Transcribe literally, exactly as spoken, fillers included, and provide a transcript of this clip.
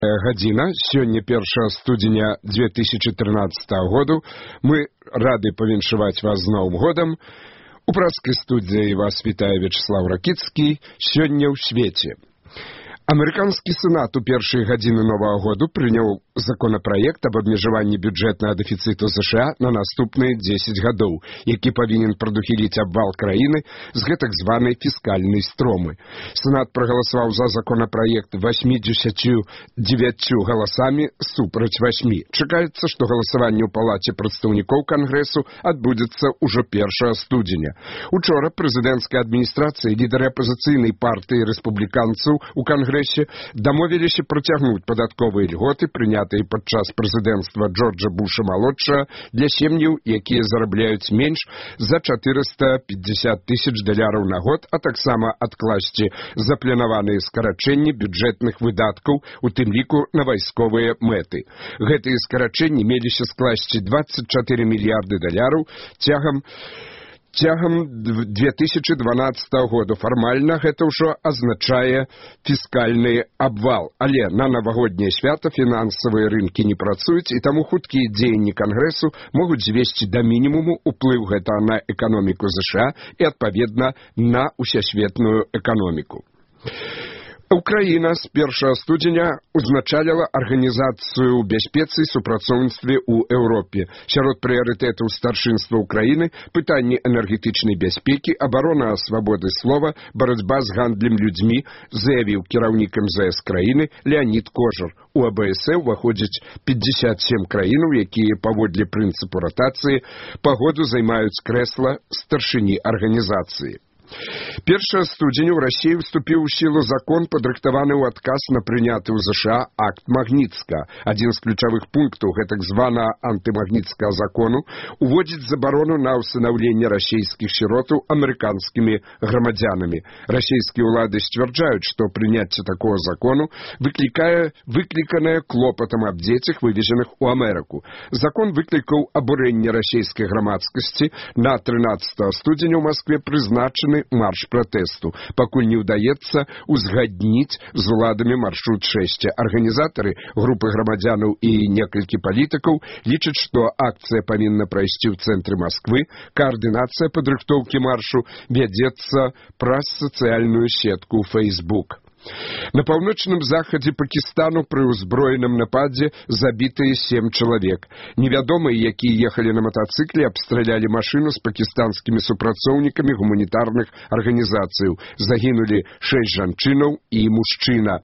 Гадзіна, сёння першага студзеня две тысячи тринадцатого году. Мы рады павіншаваць вас з Новым годам. У пражскай студыі вас вітае Вячеслав Ракіцкі. Сёння ў свеце. Амерыканскі сенат у першыя гадзіны Новага году прыняў законапраект об абмежаванні бюджэтнага дэфіцыту США на наступныя дзесяць гадоў, які павінен прадухіліць абвал краіны з гэтак званай фіскальнай стромы. Сенат прагаласаваў за законапраект восьмидесятью девятью галасамі супраць восьмі. Чакаецца, што галасаванне ў палаце прадстаўнікоў Кангрэсу адбудзецца ўжо першага студзеня. Учора прэзідэнцкая адміністрацыя і лідары апазіцыйнай партыі рэспубліканцаў у Кангрэсе дамовіліся працягнуць падатковыя льготы, прынятыя падчас прэзідэнцтва Джорджа Буша-малодшага для сем'яў, якія зарабляюць менш за чатырыста пятьдесят тысяч даляраў на год, а таксама адкласці запланаваныя скарачэнні бюджэтных выдаткаў, у тым ліку на вайсковыя мэты. Гэтыя скарачэнні меліся скласці двадцать четыре мільярды даляраў цягам Цягам две тысячи дванадцатого года. Фармальна гэта ўжо азначае фіскальны абвал. Але на навагодняе свята фінансавыя рынкі не працуюць, і таму хуткія дзеянні Кангрэсу могуць звесці да мінімуму ўплыў гэта на эканоміку США і, адпаведна, на усесветную эканоміку. Украіна з першага студзеня узначаліла арганізацыю бяспецы і супрацоўніцтве ў Еўропе. Сярод прыярытэтаў старшынства Украіны пытанні энергетычнай бяспекі, абарона свабоды слова, барацьба з гандлем людзьмі, заявіў кіраўнік эм зэ эс краіны Леонід Кожар. У а бэ эс э ўваходзіць пятьдесят семь краінаў, якія паводле прынцыпу ратацыі па году займаюць крэсла старшыні арганізацыі. першага студзеня ў Расіі ўступіў у сілу закон, падрыхтаваны ў адказ на прыняты ў США акт Магніцка. Адзін з ключавых пунктаў гэтак званага антымагніцкага закону уводзіць забарону на ўстанаўленне расійскіх сіротаў амерыканскімі грамадзянамі. Расійскія ўлады сцвярджаюць, што прыняцце такога закону выклікае выкліканае клопатам аб дзецях, вывезеных у Амерыку. Закон выклікаў абурэнне расійскай грамадскасці. На трынаццатага студзеня ў Маскве прызначаны марш пратэсту, пакуль не ўдаецца узгадніць з уладамі маршрут шэсця. Арганізатары, групы грамадзянаў і некалькі палітыкаў лічаць, што акцыя павінна прайсці ў цэнтры Масквы. Каардынацыя падрыхтоўкі маршу вядзецца праз сацыяльную сетку Facebook. На паўночным захадзе Пакістану пры ўзброеным нападзе забітыя сем чалавек. Невядомыя, якія ехалі на матацыкле, абстралялі машыну з пакістанскімі супрацоўнікамі гуманітарных арганізацыяў. Загінулі шэсць жанчынаў і мужчына.